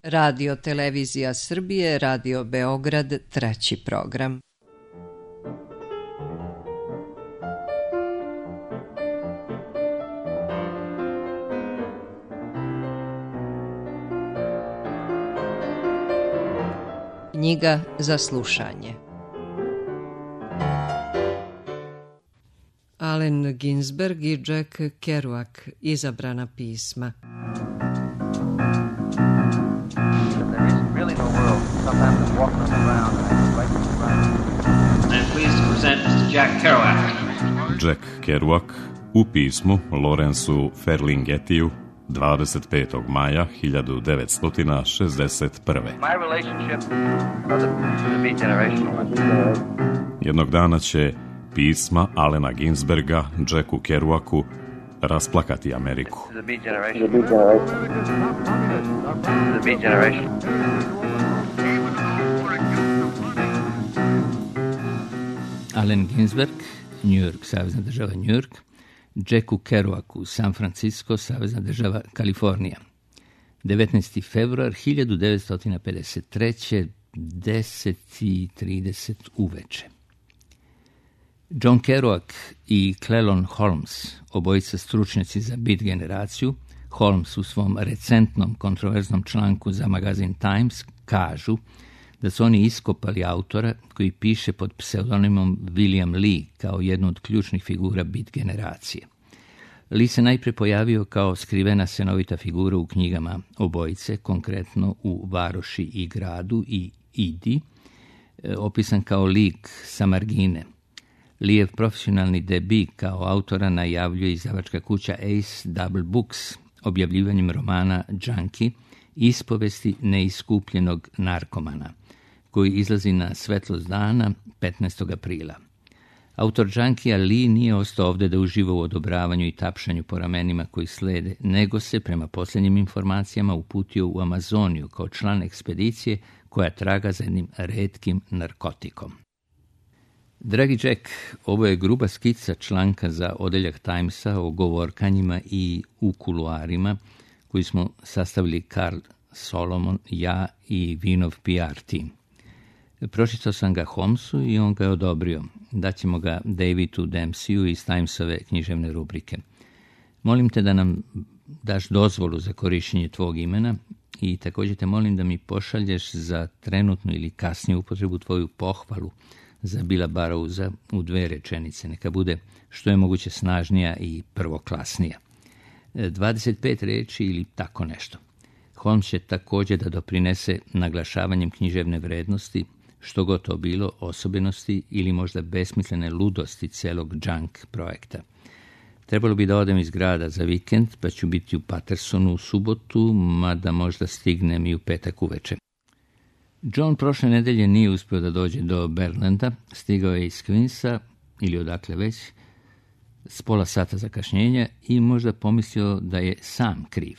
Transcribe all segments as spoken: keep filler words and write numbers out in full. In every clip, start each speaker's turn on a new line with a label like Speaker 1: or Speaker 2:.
Speaker 1: Radio Televizija Srbije, Radio Beograd, treći program. Knjiga za slušanje. Allen Ginsberg i Jack Kerouac, izabrana pisma.
Speaker 2: Jack Kerouac u pismu Lawrenceu Ferlinghettiju dvadeset petog maja hiljadu devetsto šezdeset prve. Jednog dana će pisma Allena Ginsberga Jacku Kerouacu rasplakati Ameriku.
Speaker 3: Allen Ginsberg, New York, savezna država New York, Jacku Kerouacu, San Francisco, savezna država Kalifornija. devetnaesti februar hiljadu devetsto pedeset treće. deset i trideset uveče. John Kerouac i Clelon Holmes, obojica stručnjaci za beat generaciju, Holmes u svom recentnom kontroverznom članku za magazin Times kažu da su oni iskopali autora koji piše pod pseudonimom William Lee kao jednu od ključnih figura beat generacije. Lee se najprije pojavio kao skrivena senovita figura u knjigama obojice, konkretno u Varoši i gradu i Idi, opisan kao lik sa margine. Leejev profesionalni debi kao autora najavljuje izdavačka kuća Ace Double Books objavljivanjem romana Junkie, ispovesti neiskupljenog narkomana, koji izlazi na svetlost dana petnaestog aprila. Autor Junkija Lee nije ostao ovdje da uživa u odobravanju i tapšanju po ramenima koji slede, nego se, prema posljednjim informacijama, uputio u Amazoniju kao član ekspedicije koja traga za jednim retkim narkotikom. Dragi Jack, ovo je gruba skica članka za odeljak Timesa o govorkanjima i u kuluarima koji smo sastavili Carl Solomon, ja i Vinov P R tim. Pročitao sam ga Holmesu i on ga je odobrio. Daćemo ga Davidu Dempseyu iz Timesove književne rubrike. Molim te da nam daš dozvolu za korištenje tvog imena i također te molim da mi pošalješ za trenutnu ili kasniju upotrebu tvoju pohvalu za Billa Burroughsa u dve rečenice. Neka bude što je moguće snažnija i prvoklasnija. dvadeset pet reči ili tako nešto. Holmes će također da doprinese naglašavanjem književne vrednosti, što god to bilo, osobenosti ili možda besmislene ludosti celog Junk projekta. Trebalo bi da odem iz grada za vikend, pa ću biti u Patersonu u subotu, mada možda stignem i u petak uveče. John prošle nedelje nije uspio da dođe do Berlanda, stigao je iz Queensa, ili odakle već, s pola sata zakašnjenja i možda pomislio da je sam kriv.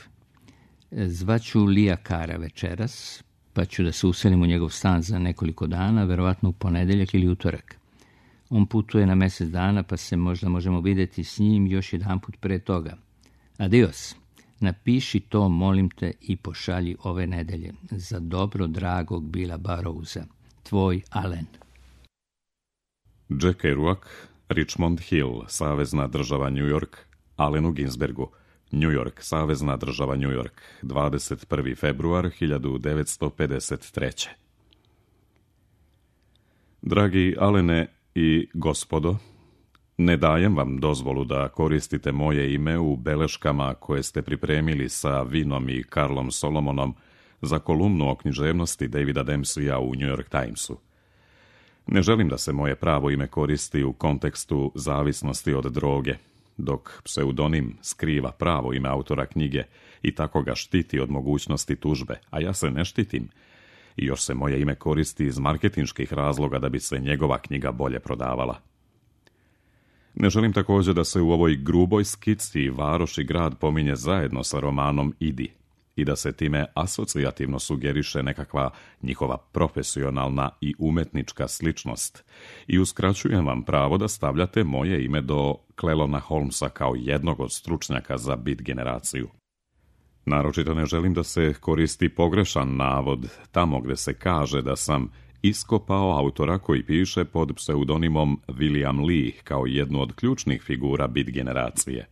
Speaker 3: Zvaću Lija Kara večeras, pa ću da se uselim u njegov stan za nekoliko dana, verovatno u ponedeljak ili utorak. On putuje na mjesec dana, pa se možda možemo vidjeti s njim još jedan put pre toga. Adios. Napiši to, molim te, i pošalji ove nedelje. Za dobro dragog Billa Burroughsa. Tvoj Allen.
Speaker 2: Jack Kerouac, Richmond Hill, savezna država New York, Allenu Ginsbergu, New York, savezna država New York, dvadeset prvi februar hiljadu devetsto pedeset treće. Dragi Allene i gospodo, ne dajem vam dozvolu da koristite moje ime u beleškama koje ste pripremili sa Vinom i Carlom Solomonom za kolumnu o književnosti Davida Dempseya u New York Timesu. Ne želim da se moje pravo ime koristi u kontekstu zavisnosti od droge, dok pseudonim skriva pravo ime autora knjige i tako ga štiti od mogućnosti tužbe, a ja se ne štitim. I još se moje ime koristi iz marketinških razloga da bi se njegova knjiga bolje prodavala. Ne želim također da se u ovoj gruboj skici Varoš i grad pominje zajedno sa romanom Idi i da se time asocijativno sugeriše nekakva njihova profesionalna i umetnička sličnost i uskraćujem vam pravo da stavljate moje ime do Clelona Holmesa kao jednog od stručnjaka za beat generaciju. Naročito ne želim da se koristi pogrešan navod tamo gde se kaže da sam iskopao autora koji piše pod pseudonimom William Lee kao jednu od ključnih figura beat generacije.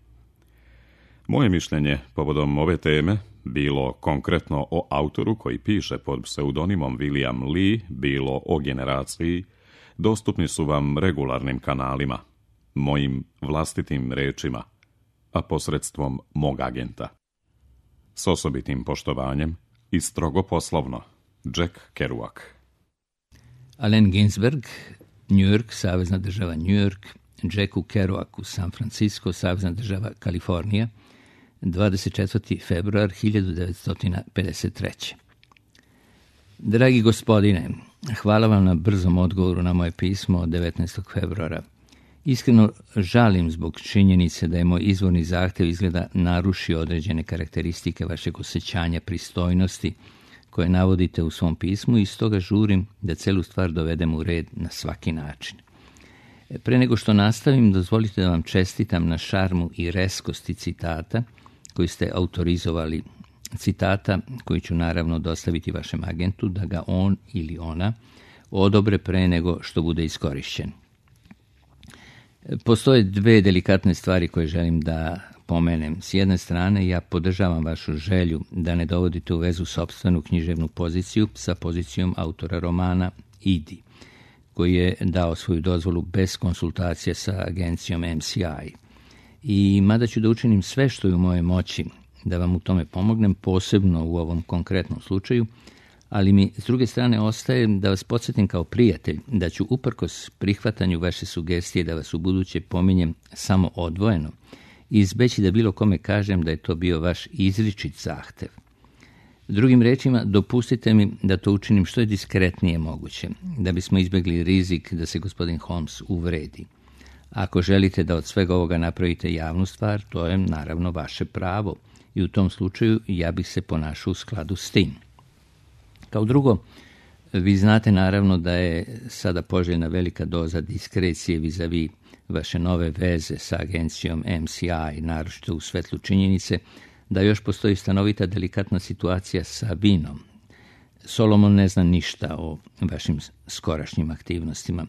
Speaker 2: Moje mišljenje povodom ove teme, bilo konkretno o autoru koji piše pod pseudonimom William Lee, bilo o generaciji, dostupni su vam regularnim kanalima, mojim vlastitim rečima, a posredstvom mog agenta. S osobitim poštovanjem i strogo poslovno, Jack Kerouac.
Speaker 3: Allen Ginsberg, New York, savezna država New York, Jacku Kerouacu, San Francisco, savezna država Kalifornija, dvadeset četvrti februar hiljadu devetsto pedeset treće. Dragi gospodine, hvala vam na brzom odgovoru na moje pismo od devetnaestog februara. Iskreno žalim zbog činjenice da je moj izvorni zahtev izgleda narušio određene karakteristike vašeg osjećanja pristojnosti koje navodite u svom pismu i stoga žurim da celu stvar dovedem u red na svaki način. Pre nego što nastavim, dozvolite da vam čestitam na šarmu i reskosti citata koji ste autorizovali, citata koji ću naravno dostaviti vašem agentu da ga on ili ona odobre pre nego što bude iskorišćen. Postoje dve delikatne stvari koje želim da pomenem. S jedne strane, ja podržavam vašu želju da ne dovodite u vezu sopstvenu književnu poziciju sa pozicijom autora romana Idi, koji je dao svoju dozvolu bez konsultacije sa agencijom M C I. I mada ću da učinim sve što je u mojoj moći da vam u tome pomognem, posebno u ovom konkretnom slučaju, ali mi s druge strane ostaje da vas podsjetim kao prijatelj da ću uprkos prihvatanju vaše sugestije da vas u buduće pominjem samo odvojeno izbeći da bilo kome kažem da je to bio vaš izričit zahtev. Drugim rečima, dopustite mi da to učinim što je diskretnije moguće, da bismo izbjegli rizik da se gospodin Holmes uvredi. Ako želite da od svega ovoga napravite javnu stvar, to je naravno vaše pravo i u tom slučaju ja bih se ponašao u skladu s tim. Kao drugo, vi znate naravno da je sada poželjna velika doza diskrecije vis-a-vis vaše nove veze sa agencijom M C I, naročito u svetlu činjenice da još postoji stanovita delikatna situacija sa vinom. Solomon ne zna ništa o vašim skorašnjim aktivnostima.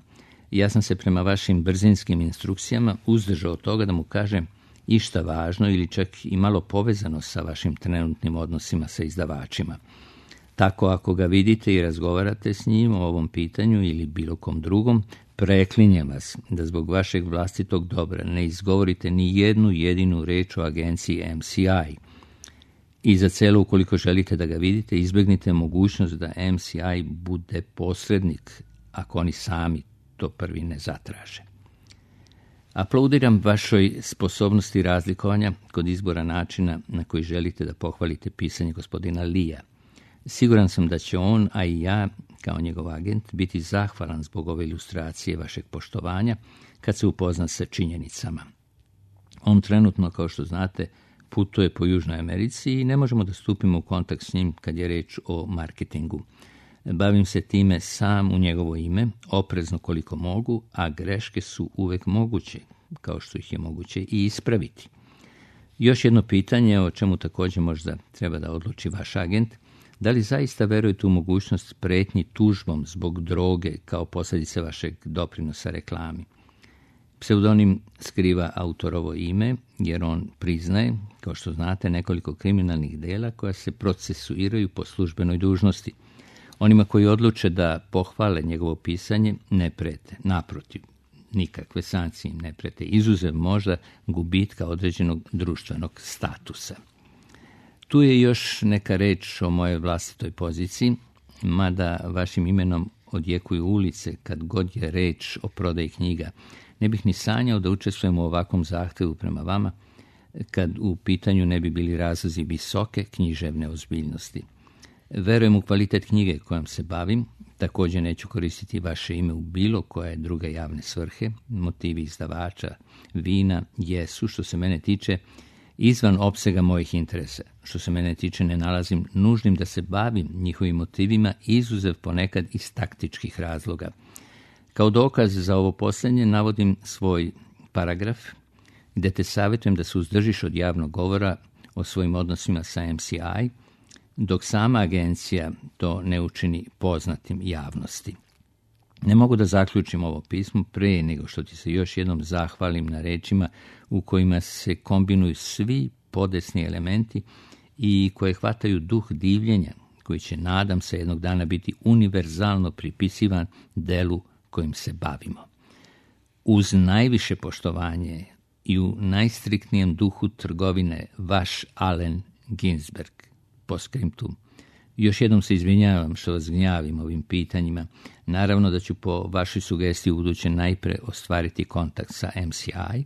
Speaker 3: Ja sam se prema vašim brzinskim instrukcijama uzdržao od toga da mu kažem išta važno ili čak i malo povezano sa vašim trenutnim odnosima sa izdavačima. Tako ako ga vidite i razgovarate s njim o ovom pitanju ili bilo kom drugom, preklinjem vas da zbog vašeg vlastitog dobra ne izgovorite ni jednu jedinu reč o agenciji M C I. I za celo, ukoliko želite da ga vidite, izbjegnite mogućnost da M C I bude posrednik ako oni sami to prvi ne zatraže. Aplaudiram vašoj sposobnosti razlikovanja kod izbora načina na koji želite da pohvalite pisanje gospodina Lija. Siguran sam da će on, a i ja, kao njegov agent, biti zahvalan zbog ove ilustracije vašeg poštovanja kad se upozna sa činjenicama. On trenutno, kao što znate, putuje po Južnoj Americi i ne možemo da stupimo u kontakt s njim kad je reč o marketingu. Bavim se time sam u njegovo ime, oprezno koliko mogu, a greške su uvek moguće, kao što ih je moguće i ispraviti. Još jedno pitanje o čemu također možda treba da odluči vaš agent, da li zaista verujete u mogućnost pretnji tužbom zbog droge kao posljedice vašeg doprinosa reklami? Pseudonim skriva autorovo ime jer on priznaje, kao što znate, nekoliko kriminalnih dela koja se procesuiraju po službenoj dužnosti. Onima koji odluče da pohvale njegovo pisanje ne prete, naprotiv, nikakve sankcije ne prete, izuzev možda gubitka određenog društvenog statusa. Tu je još neka reč o mojoj vlastitoj poziciji, mada vašim imenom odjekuju ulice kad god je reč o prodaji knjiga. Ne bih ni sanjao da učestvujem u ovakvom zahtevu prema vama, kad u pitanju ne bi bili razlozi visoke književne ozbiljnosti. Verujem u kvalitet knjige kojom se bavim, također neću koristiti vaše ime u bilo koje druge javne svrhe, motivi izdavača, vina, jesu, što se mene tiče, izvan opsega mojih interesa. Što se mene tiče, ne nalazim nužnim da se bavim njihovim motivima, izuzev ponekad iz taktičkih razloga. Kao dokaz za ovo posljednje navodim svoj paragraf, gdje te savjetujem da se uzdržiš od javnog govora o svojim odnosima sa M C I, dok sama agencija to ne učini poznatim javnosti. Ne mogu da zaključim ovo pismo pre nego što ti se još jednom zahvalim na rečima u kojima se kombinuju svi podesni elementi i koje hvataju duh divljenja, koji će, nadam se, jednog dana biti univerzalno pripisivan delu kojim se bavimo. Uz najviše poštovanje i u najstriktnijem duhu trgovine, vaš Allen Ginsberg, postscriptum. Još jednom se izvinjavam što vas gnjavim ovim pitanjima. Naravno da ću po vašoj sugestiji ubuduće najpre ostvariti kontakt sa M C I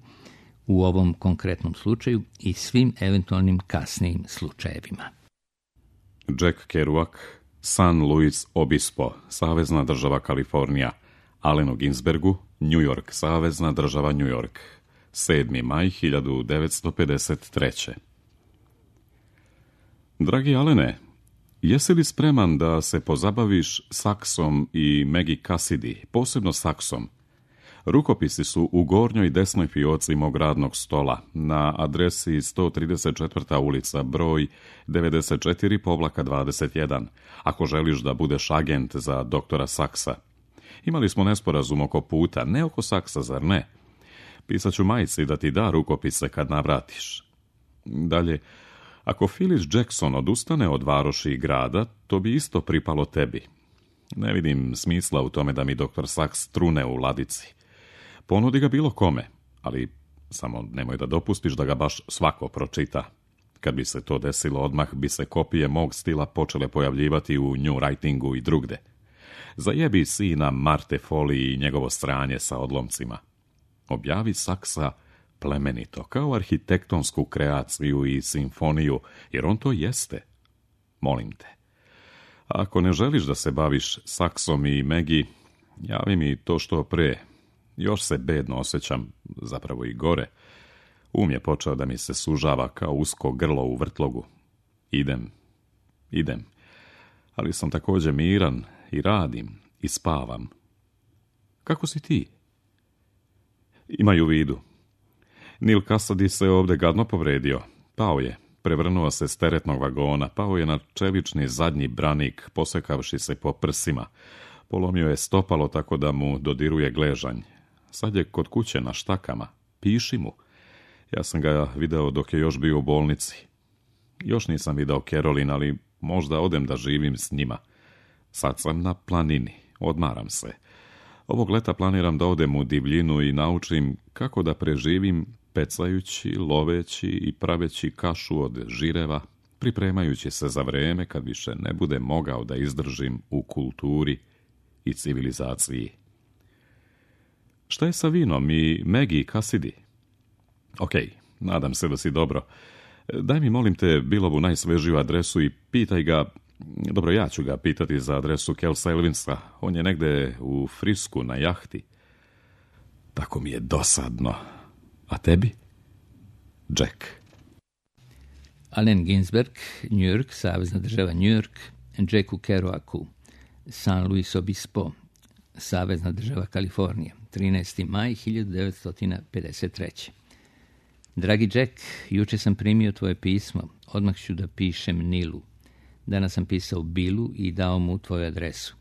Speaker 3: u ovom konkretnom slučaju i svim eventualnim kasnijim slučajevima.
Speaker 2: Jack Kerouac, San Luis Obispo, Savezna država Kalifornija, Allenu Ginsbergu, New York, Savezna država New York, sedmi maj hiljadu devetsto pedeset treće. Dragi Allene, jesi li spreman da se pozabaviš saksom i Maggie Cassidy, posebno saksom? Rukopisi su u gornjoj desnoj fioci mog radnog stola, na adresi sto trideset četvrta ulica, broj devedeset četiri dvadeset jedan, ako želiš da budeš agent za doktora Saksa. Imali smo nesporazum oko puta, ne oko Saksa, zar ne? Pisat ću majici da ti da rukopise kad navratiš. Dalje, ako Phyllis Jackson odustane od varoši i grada, to bi isto pripalo tebi. Ne vidim smisla u tome da mi doktor Saks trune u ladici. Ponudi ga bilo kome, ali samo nemoj da dopustiš da ga baš svako pročita. Kad bi se to desilo, odmah bi se kopije mog stila počele pojavljivati u New Writingu i drugde. Zajebi sina Marte Foley i njegovo sranje sa odlomcima. Objavi Saksa plemenito, kao arhitektonsku kreaciju i simfoniju, jer on to jeste. Molim te. A ako ne želiš da se baviš Saksom i Maggie, javi mi to što pre. Još se bedno osjećam, zapravo i gore. Um je počeo da mi se sužava kao usko grlo u vrtlogu. Idem, idem. Ali sam također miran i radim i spavam. Kako si ti? Imaj u vidu. Neil Cassady se ovdje gadno povredio. Pao je, prevrnuo se s teretnog vagona, pao je na čelični zadnji branik, posekavši se po prsima. Polomio je stopalo tako da mu dodiruje gležanj. Sad je kod kuće na štakama. Piši mu. Ja sam ga video dok je još bio u bolnici. Još nisam video Kerolin, ali možda odem da živim s njima. Sad sam na planini. Odmaram se. Ovog leta planiram da odem u divljinu i naučim kako da preživim pecajući, loveći i praveći kašu od žireva, pripremajući se za vreme kad više ne bude mogao da izdržim u kulturi i civilizaciji. Šta je sa vinom i Maggie Cassidy? Ok, nadam se da si dobro. Daj mi, molim te, Billovu najsvežiju adresu i pitaj ga, dobro, ja ću ga pitati za adresu Kelsa Elvinsa, on je negde u Frisku na jahti. Tako mi je dosadno. A tebi? Jack.
Speaker 3: Allen Ginsberg, New York, Savezna država New York, Jacku Kerouacu, San Luis Obispo, Savezna država Kalifornija, trinaesti maj hiljadu devetsto pedeset treće. Dragi Jack, juče sam primio tvoje pismo, odmah ću da pišem Nilu. Danas sam pisao Billu i dao mu tvoju adresu.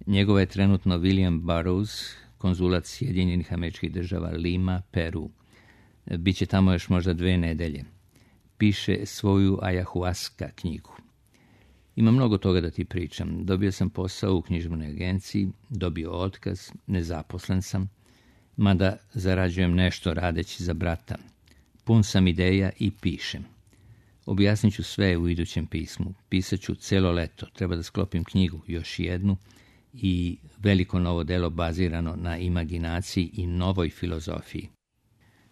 Speaker 3: Njegova je trenutno William Burroughs, konzulat Sjedinjenih Američkih Država, Lima, Peru. Biće tamo još možda dve nedelje. Piše svoju ayahuasca knjigu. Ima mnogo toga da ti pričam. Dobio sam posao u književnoj agenciji, dobio otkaz, nezaposlen sam, mada zarađujem nešto radeći za brata. Pun sam ideja i pišem. Objasnit ću sve u idućem pismu. Pisat ću celo leto. Treba da sklopim knjigu, još jednu, i veliko novo delo bazirano na imaginaciji i novoj filozofiji.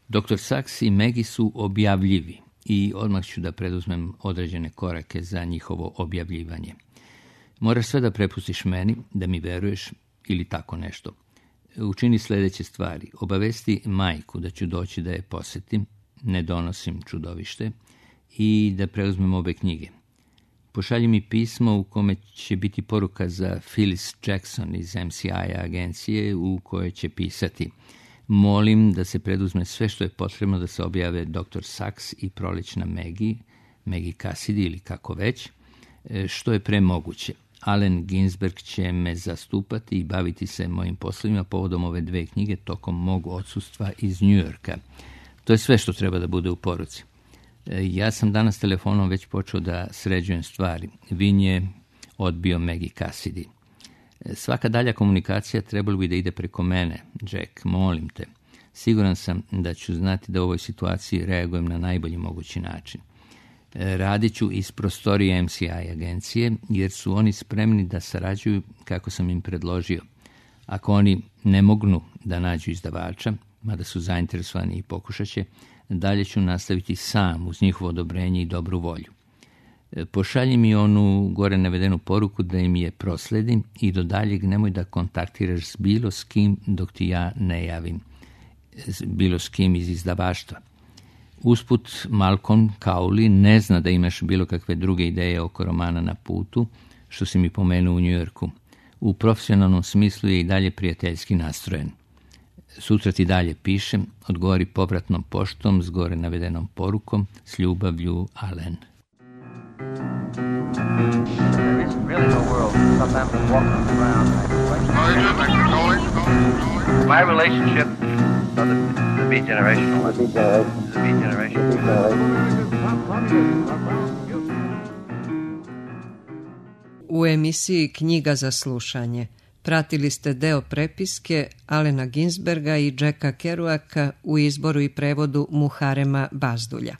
Speaker 3: doktor Saks i Maggie su objavljivi i odmah ću da preduzmem određene korake za njihovo objavljivanje. Moraš sve da prepustiš meni, da mi veruješ ili tako nešto. Učini sljedeće stvari. Obavesti majku da ću doći da je posetim, ne donosim čudovište, i da preuzmem obe knjige. Pošalji mi pismo u kome će biti poruka za Phyllis Jackson iz M C I agencije u kojoj će pisati: molim da se preduzme sve što je potrebno da se objave doktor Saks i prolećna Maggie, Maggie Cassidy ili kako već, što je pre moguće. Allen Ginsberg će me zastupati i baviti se mojim poslovima povodom ove dve knjige tokom mog odsustva iz Njujorka. To je sve što treba da bude u poruci. Ja sam danas telefonom već počeo da sređujem stvari. Vin je odbio Maggie Cassidy. Svaka dalja komunikacija trebala bi da ide preko mene. Jack, molim te. Siguran sam da ću znati da u ovoj situaciji reagujem na najbolji mogući način. Radit ću iz prostorije M C I agencije, jer su oni spremni da sarađuju kako sam im predložio. Ako oni ne mognu da nađu izdavača, mada su zainteresovani i pokušat će, dalje ću nastaviti sam uz njihovo odobrenje i dobru volju. Pošalji mi onu gore navedenu poruku da im je prosledim i do daljeg nemoj da kontaktiraš s bilo s kim dok ti ja ne javim. Bilo s kim iz izdavaštva. Usput, Malcolm Cowley ne zna da imaš bilo kakve druge ideje oko romana Na putu, što si mi pomenuo u Njujorku. U profesionalnom smislu je i dalje prijateljski nastrojen. Sutra ti dalje pišem, odgovori povratnom poštom s gore navedenom porukom, s ljubavlju, Allen.
Speaker 4: There isn't really no world. Sometimes I'm walking around like my relationship to the beat generation. The beat generation.
Speaker 1: U emisiji Knjiga za slušanje pratili ste deo prepiske Allena Ginsberga i Jacka Kerouaka u izboru i prevodu Muharema Bazdulja.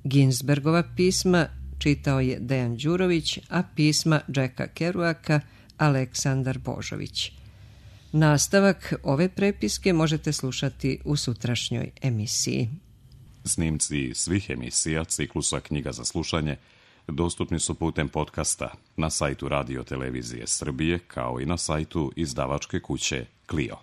Speaker 1: Ginsbergova pisma čitao je Dejan Đurović, a pisma Jacka Kerouaka Aleksandar Božović. Nastavak ove prepiske možete slušati u sutrašnjoj emisiji.
Speaker 2: Snimci svih emisija ciklusa Knjiga za slušanje dostupni su putem podcasta na sajtu Radio Televizije Srbije kao i na sajtu izdavačke kuće Clio.